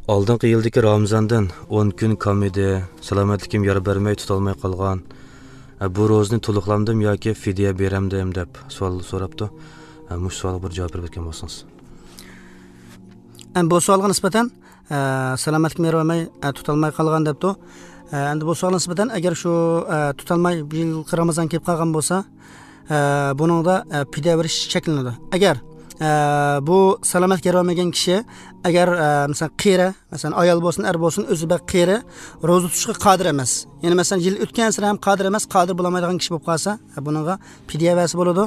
Oldingi yildagi Ramazondan 10 kun kam edi, salomatligim yor bermay tutolmay qolgan. Bu ro'zni to'liqlamdim yoki fidya beramdim deb savol so'rabdi. Mush savolga bir javob berib o'tgan bo'lsangiz. Bu savolga nisbatan salomatligim yor bermay tutolmay qolgan debdi. Endi bu savolga nisbatan agar shu tutolmay bir yil Ramazon kelib qolgan bo'lsa, buningda fidya berish cheklanadi. Agar bu salomatlik yer olmagan kishi agar masalan qeri, masalan ayol bo'lsin, er bo'lsin, o'zi bir qeri ro'za tutishga qodir emas. Ya'ni masalan yil o'tgan sari ham qodir emas, qodir bo'lolmaydigan kishi bo'lib qolsa, buningga fidya basi bo'ladi.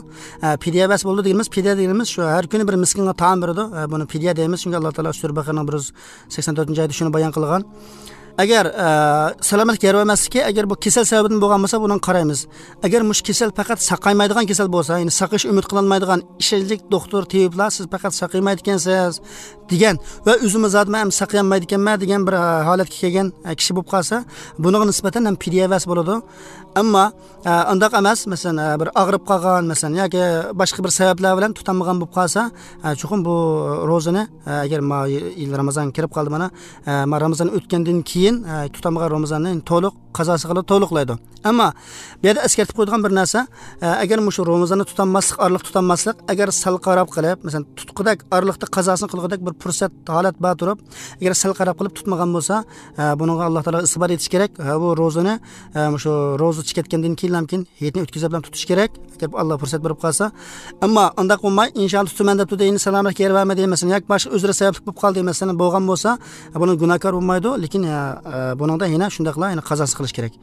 Fidya basi bo'ldi deymiz, fidya deymiz, shu har kuni bir miskinga taom beradi. Buni fidya deymiz, chunki Alloh taolo sura Baqaraning 184-oyatida shuni bayon qilgan. Agar salomatlik yer bermasligi, agar bu kasal sababidan bo'lgan bo'lsa, buni qaraymiz. Agar mush kasal faqat saqaymaydigan kasal bo'lsa, ya'ni saqish umid qilolmaydigan ishonchli doktor, tabiblar siz faqat saqaymaydi ekansiz degan va o'zimiz zotman ham saqayolmaydi ekanman degan bir holatga kelgan kishi bo'lib qolsa, bunga nisbatan ham fidya bas bo'ladi. Ammo undaq emas, masalan bir og'rib qolgan, masalan yoki boshqa bir sabablar bilan tutolmagan bo'lib qolsa, chuqur bu ro'zani agar yil Ramazon kirib qoldi mana, Ramazon o'tgandan keyin tutolmagan Ramazonni to'liq qazosi qilib to'liqlaydi. Ammo bu yerda eskartib qo'ydigan bir narsa, agar shu Ramazonni tutolmaslik, orliq tutolmaslik, agar sal qarab qilib, masalan tutqidak orliqda qazosini qilgudak bir fursat holat bor turib, agar sal qarab qilib tutmagan bo'lsa, bunga Alloh taolo isbot etish kerak. Bu ro'zani shu ro'za chiqatgandan keyin ham keyin hayitni o'tkazib ham tutish kerak, agar Alloh fursat berib qolsa. Ammo undaq bo'lmay, inshaalloh tutaman deb turdi, endi salomatlik yer bermaydi, masalan, yoki boshqa uzri sababli bo'lib qoldi, masalan, bo'lgan bo'lsa, buni gunohkor bo'lmaydi, lekin buningda yana shundaqla yana qazosi qilish kerak.